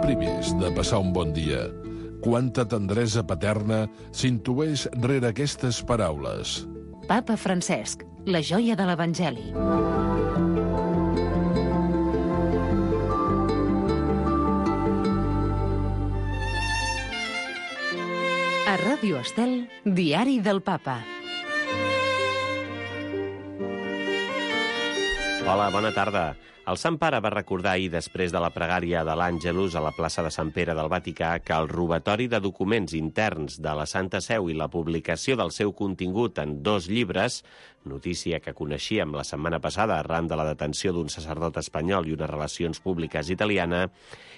primers de passar un bon dia. Quanta tendresa paterna s'intueix rere aquestes paraules. Papa Francesc, la joia de l'Evangeli. A Ràdio Estel, Diari del Papa. Hola, bona tarda. El Sant Pare va recordar ahir, després de la pregària de l'Àngelus a la plaça de Sant Pere del Vaticà, que el robatori de documents interns de la Santa Seu i la publicació del seu contingut en 2 llibres, notícia que coneixíem la setmana passada arran de la detenció d'un sacerdot espanyol i unes relacions públiques italiana,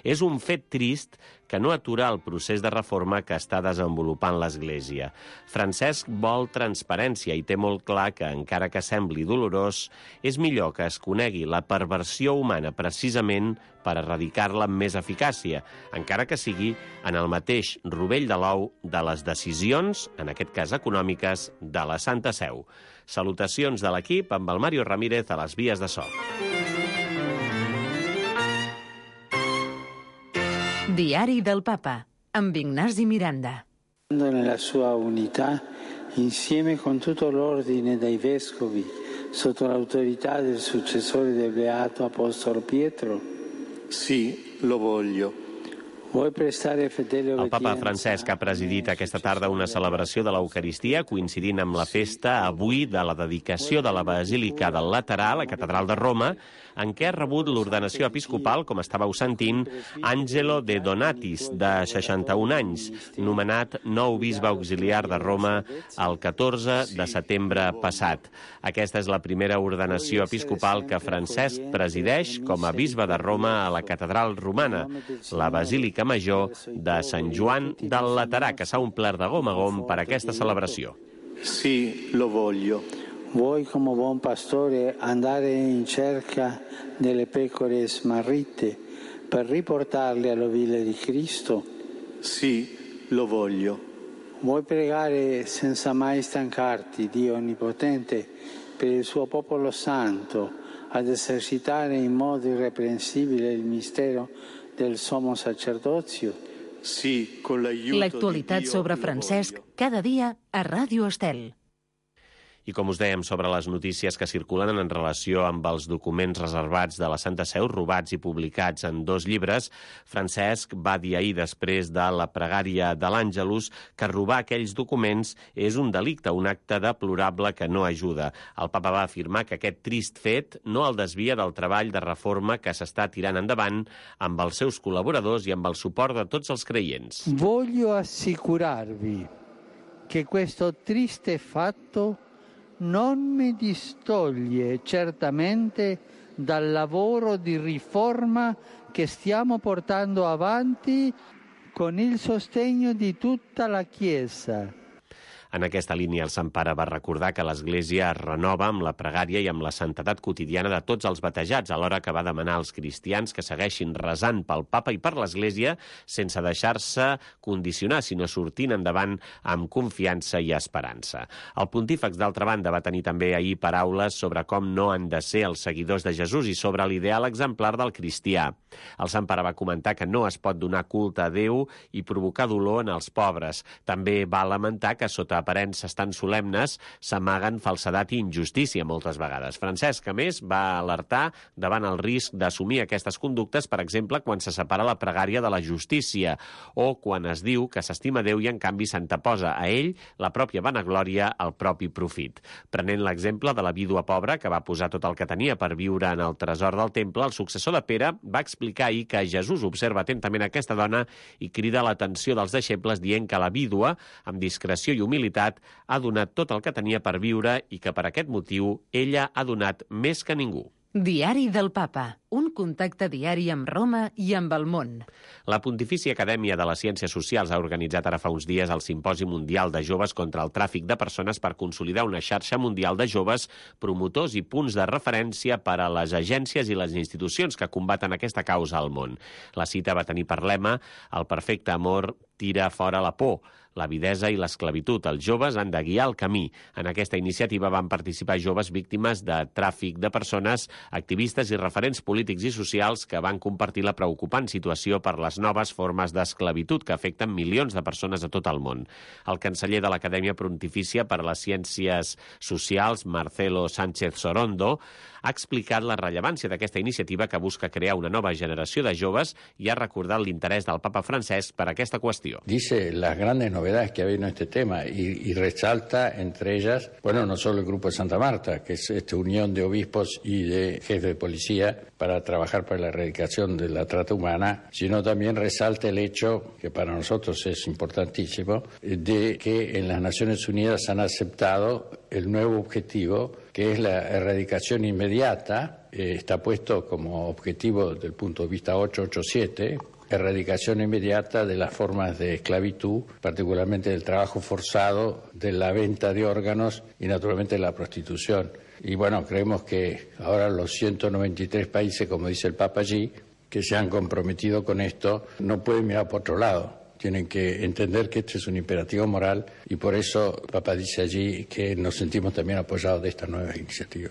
és un fet trist que no atura el procés de reforma que està desenvolupant l'Església. Francesc vol transparència i té molt clar que, encara que sembli dolorós, és millor que es conegui la perversió humana precisament per erradicar-la amb més eficàcia, encara que sigui en el mateix rovell de l'ou de les decisions, en aquest cas econòmiques, de la Santa Seu. Salutacions de l'equip amb el Mario Ramírez a les vies de so. Diari del Papa, amb Ignasi Miranda. Nella sua unità, insieme con tutto l'ordine dei vescovi, sotto l'autorità del successore del Beato Apostolo Pietro? Sì, lo voglio. El papa Francesc ha presidit aquesta tarda una celebració de l'Eucaristia coincidint amb la festa avui de la dedicació de la Basílica del Laterà, la catedral de Roma, en què ha rebut l'ordenació episcopal, com estàveu sentint, Angelo De Donatis, de 61 anys, nomenat nou bisbe auxiliar de Roma el 14 de setembre passat. Aquesta és la primera ordenació episcopal que Francesc presideix com a bisbe de Roma a la catedral romana, la Basílica Major de Sant Joan del Laterà, que s'ha omplert de gom a gom per aquesta celebració. Sì, lo voglio. Vuoi, come buon pastore, andare in cerca delle pecore smarrite per riportarle all'ovile di Cristo? Sì, lo voglio. Vuoi pregare senza mai stancarti, Dio Onnipotente, per il suo popolo santo, ad esercitare in modo irreprensibile il mistero del sommo sacerdozio? Sí, con l'aiuto L'actualitat sobre Francesc cada dia a Ràdio Estel. I com us dèiem sobre les notícies que circulen en relació amb els documents reservats de la Santa Seu, robats i publicats en 2 llibres, Francesc va dir ahir, després de la pregària de l'Àngelus, que robar aquells documents és un delicte, un acte deplorable que no ajuda. El papa va afirmar que aquest trist fet no el desvia del treball de reforma que s'està tirant endavant amb els seus col·laboradors i amb el suport de tots els creients. Voglio assicurarvi che questo triste fatto non mi distoglie certamente dal lavoro di riforma che stiamo portando avanti con il sostegno di tutta la Chiesa. En aquesta línia, el Sant Pare va recordar que l'Església es renova amb la pregària i amb la santedat quotidiana de tots els batejats, alhora que va demanar als cristians que segueixin resant pel Papa i per l'Església sense deixar-se condicionar, sinó sortint endavant amb confiança i esperança. El pontífex, d'altra banda, va tenir també ahir paraules sobre com no han de ser els seguidors de Jesús i sobre l'ideal exemplar del cristià. El Sant Pare va comentar que no es pot donar culte a Déu i provocar dolor en els pobres. També va lamentar que sota aparences tan solemnes s'amaguen falsedat i injustícia moltes vegades. Francesc, a més, va alertar davant el risc d'assumir aquestes conductes, per exemple, quan se separa la pregària de la justícia o quan es diu que s'estima Déu i, en canvi, s'anteposa a ell la pròpia vanaglòria, el propi profit. Prenent l'exemple de la vídua pobra que va posar tot el que tenia per viure en el tresor del temple, el successor de Pere va explicar ahir que Jesús observa atentament aquesta dona i crida l'atenció dels deixebles dient que la vídua, amb discreció i humilitat, ha donat tot el que tenia per viure i que per aquest motiu ella ha donat més que ningú. Diari del Papa, un contacte diari amb Roma i amb el món. La Pontifícia Acadèmia de les Ciències Socials ha organitzat ara fa uns dies el Simposi Mundial de Joves contra el Tràfic de Persones per consolidar una xarxa mundial de joves, promotors i punts de referència per a les agències i les institucions que combaten aquesta causa al món. La cita va tenir per lema "El perfecte amor tira fora la por". l'avidesa i l'esclavitud. Els joves han de guiar el camí. En aquesta iniciativa van participar joves víctimes de tràfic de persones, activistes i referents polítics i socials que van compartir la preocupant situació per les noves formes d'esclavitud que afecten milions de persones a tot el món. El canceller de l'Acadèmia Pontifícia per a les Ciències Socials, Marcelo Sánchez Sorondo, ha explicat la rellevància d'aquesta iniciativa que busca crear una nova generació de joves i ha recordat l'interès del Papa Francesc per aquesta qüestió. Dice las grandes novedades que ha habido en este tema y resalta entre ellas, bueno, no solo el Grupo de Santa Marta, que es esta unión de obispos y de jefes de policía para trabajar para la erradicación de la trata humana, sino también resalta el hecho, que para nosotros es importantísimo, de que en las Naciones Unidas han aceptado el nuevo objetivo, que es la erradicación inmediata. Está puesto como objetivo desde el punto de vista 887, erradicación inmediata de las formas de esclavitud, particularmente del trabajo forzado, de la venta de órganos y naturalmente de la prostitución. Y bueno, creemos que ahora los 193 países, como dice el Papa allí, que se han comprometido con esto, no pueden mirar por otro lado. Tienen que entender que este es un imperativo moral y por eso el Papa dice allí que nos sentimos también apoyados de esta nueva iniciativa.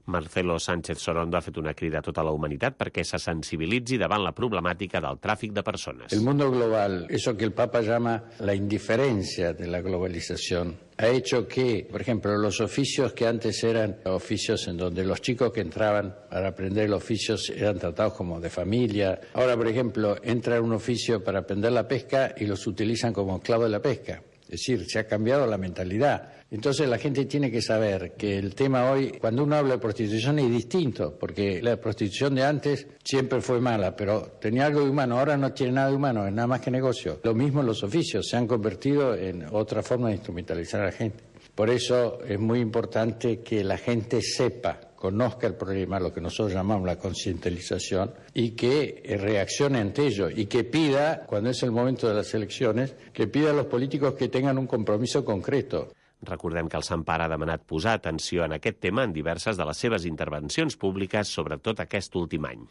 Marcelo Sánchez Sorondo ha fet una crida a tota la humanitat perquè se sensibilitzi davant la problemàtica del tràfic de persones. El mundo global, eso que el Papa llama la indiferencia de la globalización, ha hecho que, por ejemplo, los oficios que antes eran oficios en donde los chicos que entraban para aprender el oficio eran tratados como de familia. Ahora, por ejemplo, entra en un oficio para aprender la pesca y los utilizan como esclavos de la pesca. Es decir, se ha cambiado la mentalidad. Entonces la gente tiene que saber que el tema hoy, cuando uno habla de prostitución, es distinto, porque la prostitución de antes siempre fue mala, pero tenía algo de humano, ahora no tiene nada de humano, es nada más que negocio. Lo mismo los oficios, se han convertido en otra forma de instrumentalizar a la gente. Por eso es muy importante que la gente sepa, conozca el problema, lo que nosotros llamamos la concientización, y que reaccione ante ello, y que pida, cuando es el momento de las elecciones, que pida a los políticos que tengan un compromiso concreto. Recordem que el Sant Pare ha demanat posar atenció en aquest tema en diverses de les seves intervencions públiques, sobretot aquest últim any.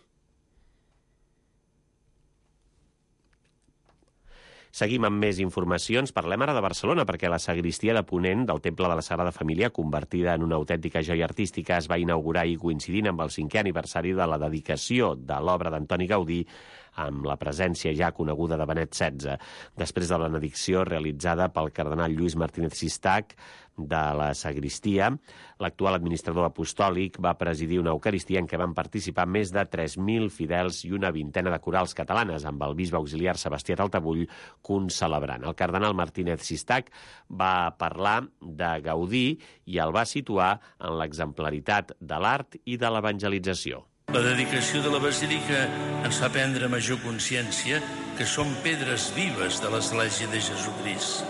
Seguim amb més informacions. Parlem ara de Barcelona, perquè la sagristia de Ponent del Temple de la Sagrada Família, convertida en una autèntica joia artística, es va inaugurar i coincidint amb el 5è aniversari de la dedicació de l'obra d'Antoni Gaudí, amb la presència ja coneguda de Benet XVI. Després de la benedicció realitzada pel cardenal Lluís Martínez Sistac de la sagristia, l'actual administrador apostòlic va presidir una eucaristia en què van participar més de 3.000 fidels i una vintena de corals catalanes, amb el bisbe auxiliar Sebastià Taltabull concelebrant. El cardenal Martínez Sistac va parlar de Gaudí i el va situar en l'exemplaritat de l'art i de l'evangelització. La dedicació de la Basílica ens fa prendre major consciència que som pedres vives de l'Església de Jesucrist.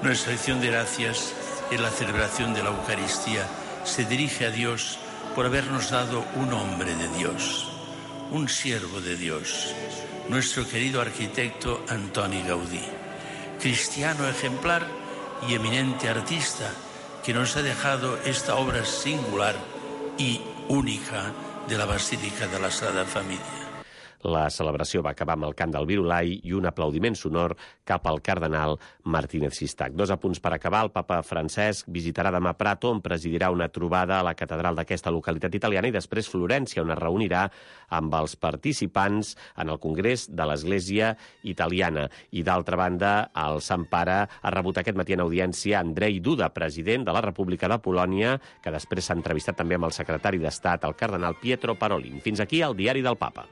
Nuestra acción de gracias en la celebración de la Eucaristía se dirige a Dios por habernos dado un hombre de Dios, un siervo de Dios, nuestro querido arquitecto Antoni Gaudí, cristiano ejemplar y eminente artista que nos ha dejado esta obra singular y única de la Basílica de la Sagrada Família. La celebració va acabar amb el cant del Virulai i un aplaudiment sonor cap al cardenal Martínez Sistac. 2 apunts per acabar. El papa Francesc visitarà demà Prato, on presidirà una trobada a la catedral d'aquesta localitat italiana, i després Florència, on es reunirà amb els participants en el Congrés de l'Església Italiana. I d'altra banda, el Sant Pare ha rebut aquest matí en audiència Andrzej Duda, president de la República de Polònia, que després s'ha entrevistat també amb el secretari d'Estat, el cardenal Pietro Parolin. Fins aquí el Diari del Papa.